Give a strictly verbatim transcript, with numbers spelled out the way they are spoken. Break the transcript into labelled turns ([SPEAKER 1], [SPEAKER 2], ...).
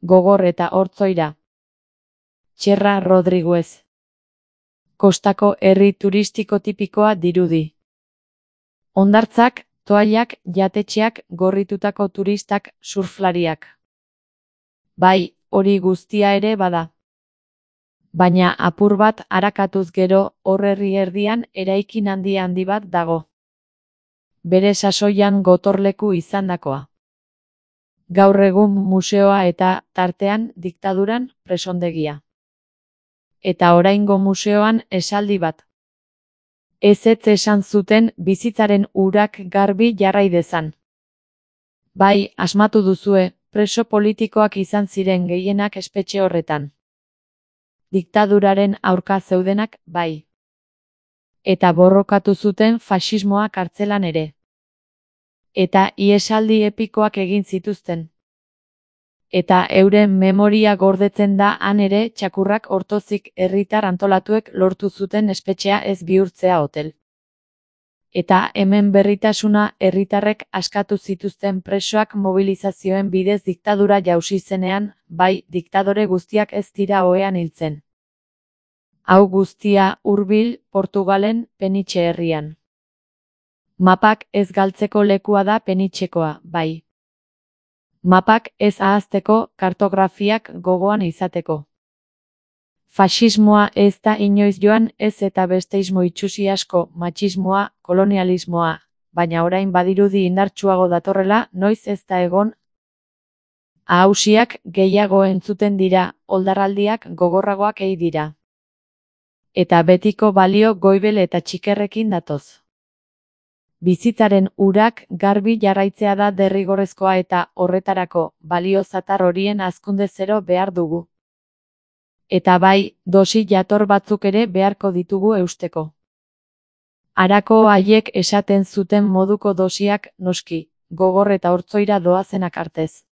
[SPEAKER 1] Gogor eta Hortzoira. Txerra Rodriguez. Kostako herri turistiko tipikoa dirudi. Hondartzak, toallak, jatetxeak, gorritutako turistak, surflariak. Bai, hori guztia ere bada. Baina apur bat arakatuz gero, hor herri erdian eraikin handi handi bat dago. Bere sasoian gotorleku izandakoa. Gaur egun museoa eta, tartean, diktaduran, presondegia. Eta oraingo museoan esaldi bat. Ezetz esan zuten bizitzaren urak garbi jarrai dezan. Bai, asmatu duzue, preso politikoak izan ziren gehienak espetxe horretan. Diktaduraren aurka zeudenak, bai. Eta borrokatu zuten faxismoa kartzelan ere. Eta ihesaldi epikoak egin zituzten. Eta euren memoria gordetzen da han ere txakurrak ortozik herritar antolatuek lortu zuten espetxea ez bihurtzea hotel. Eta hemen berritasuna herritarrek askatu zituzten presoak mobilizazioen bidez diktadura jausi zenean, bai, diktadore guztiak ez dira ohean hiltzen. Hau guztia hurbil, Portugalen, Penitxe herrian. Mapak ez galtzeko lekua da Penitxekoa, bai. Mapak ez ahazteko, kartografiak gogoan izateko. Faxismoa ez da inoiz joan ez eta besteismo itsusi asko, matxismoa, kolonialismoa, baina orain badirudi indartsuago datorrela, noiz ez da egon. Ahausiak gehiago entzuten dira, oldarraldiak gogorragoak ei dira. Eta betiko balio goibel eta txikerrekin datoz. Bizitzaren urak garbi jarraitzea da derrigorrezkoa eta horretarako balio zatar horien hazkunde zero behar dugu. Eta bai, dosi jator batzuk ere beharko ditugu eusteko. Harako haiek esaten zuten moduko dosiak, noski, Gogor eta Hortzoira doazenak artez.